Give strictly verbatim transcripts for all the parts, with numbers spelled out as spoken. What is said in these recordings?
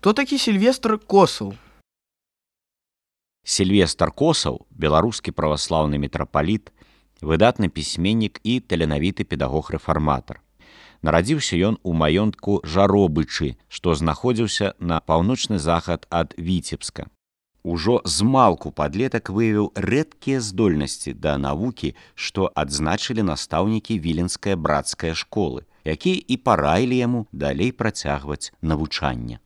Хто такі Сільвестр Косаў? Сільвестр Косаў, беларускі праваслаўны мітрапаліт, выдатны пісьменнік і таленавіты педагог-рэфарматар. Нарадзіўся ён у маёнтку Жаробычы, што знаходзіўся на паўночны захад ад Віцебска. Ужо змалку падлетак выявіў рэдкія здольнасці да навукі, што адзначылі настаўнікі віленскай брацкай школы, якія і параілі яму далей працягваць навучанне.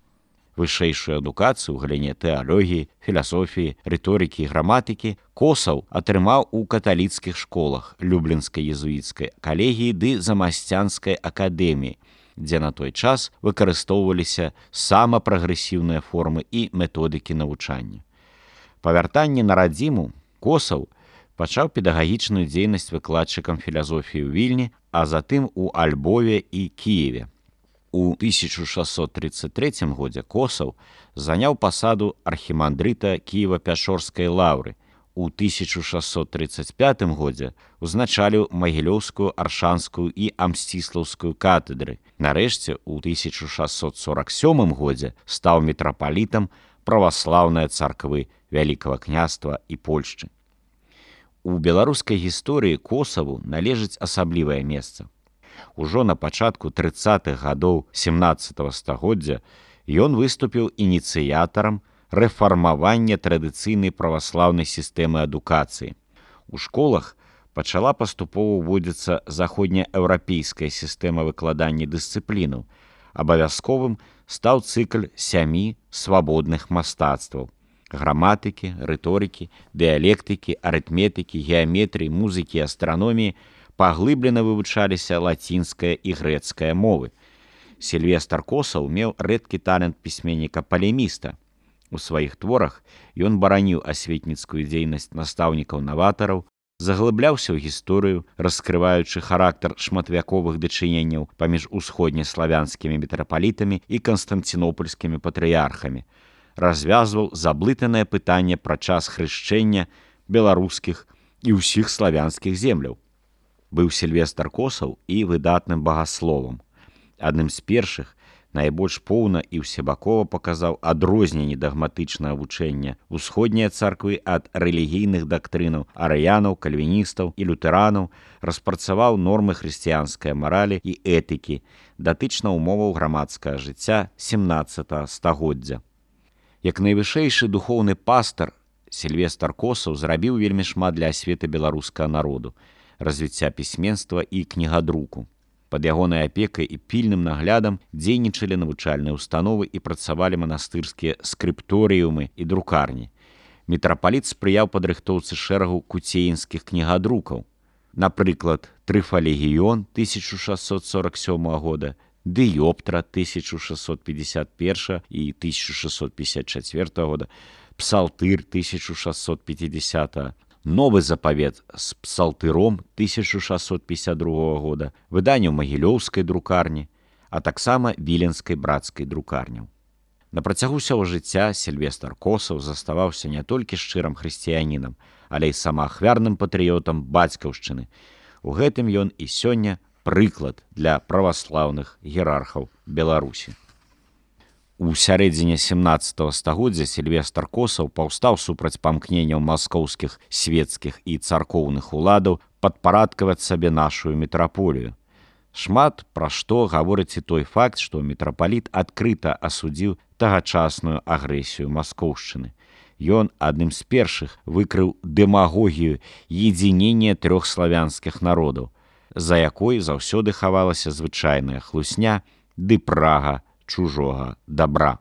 Вышэйшую адукацыю ў галіне тэалогіі, філасофіі, рыторыкі і граматыкі Косаў атрымаў у каталіцкіх школах Люблінскай езуіцкай калегіі ды Замасцянскай акадэміі, дзе на той час выкарыстоўваліся самапрагрэсіўныя формы і методыкі навучання. Па вяртанні на радзіму Косаў пачаў педагагічную дзейнасць выкладчыкам філасофіі ў Вільні, а затым у Альбове і Кіеве. У тысяча шэсцьсот трыццаць трэцім годзе Косаў заняў пасаду архімандрыта Кіева-Пячорскай лаўры. У тысяча шэсцьсот трыццаць пятым годзе узначаліў Магілёўскую, Аршанскую і Амсціслаўскую катедры. Нарэшце, у тысяча шэсцьсот сорак сёмым годзе стаў мітрапалітам праваслаўнай царквы Вялікага княства і Польшчы. У беларускай гісторыі Косаву належыць асаблівае месца. Ужо на пачатку трыццатых гадоў сямнаццатага стагоддзя ён выступіў ініцыятарам рэфармавання традыцыйнай праваслаўнай сістэмы адукацыі. У школах пачала паступова ўводзіцца заходнееўрапейская сістэма выкладання дысцыплінаў. Абавязковым стаў цыкль сямі свабодных мастацтваў: граматыкі, рыторыкі, дыялектыкі, арытметыкі, геаметрыі, музыкі і астраноміі. Паглыблена вывучаліся лацінская і грэцкая мовы. Сільвестр Косаў меў рэдкі талент пісьменніка-палеміста. У сваіх творах ён бараніў асветніцкую дзейнасць настаўнікаў-наватараў, заглыбляўся ў гісторыю, раскрываючы характар шматвяковых дачыненняў паміж усходнеславянскімі мітрапалітамі і канстанцінопольскімі патрыярхамі, развязваў заблытанае пытанне пра час хрышчэння беларускіх і ўсіх славянскіх земляў. Быў Сільвестр Косаў і выдатным багасловам. Адным з першых найбольш поўна і ўсебакова паказаў адрозненне дагматычнага вучэння усходняй царквы ад рэлігійных дактрынаў арыянаў, кальвіністаў і лютэранаў, распрацаваў нормы хрысціянскай маралі і этыкі, датычна умоваў грамадскага жыцця сямнаццатага стагоддзя. Як найвышэйшы духоўны пастар, Сільвестр Косаў зрабіў вельмі шмат для асветы беларускага народу, развіцця пісьменства і кнігадруку. Пад ягонай апекай і пільным наглядам дзейнічалі навучальныя установы і працавалі манастырскія скрыпторыумы і друкарні. Мітрапаліт спрыяў падрыхтоўцы шэрагу куцеінскіх кнігадрукаў. Напрыклад, Трыфалегіён тысяча шэсцьсот сорак сёмага года, Дыёптра тысяча шэсцьсот пятьдесят первого і тысяча шэсцьсот пятьдесят четвёртого года, Псалтыр тысяча шэсцьсот пятидесятого, Новы запавет з псалтыром тысяча шэсцьсот пятьдесят другого года, выданне ў Магілёўскай друкарні, а таксама Віленскай брацкай друкарняў. На працягу ўсяго жыцця Сільвестр Косаў заставаўся не толькі шчырым хрысціянінам, але і самаахвярным патрыётам бацькаўшчыны. У гэтым ён і сёння прыклад для праваслаўных іерархаў Беларусі. У сярэдзіне сямнаццатага стагоддзя Сільвестр Косаў паўстаў супраць памкненняў маскоўскіх свецкіх і царкоўных уладаў падпарадкаваць сабе нашую мітраполію. Шмат пра што гаворыць і той факт, што мітрапаліт адкрыта асудзіў тагачасную агрэсію маскоўшчыны. Ён адным з першых выкрыў дэмагогію едзінення трох славянскіх народаў, за якой заўсёды хавалася звычайная хлусня ды прага чужога добра.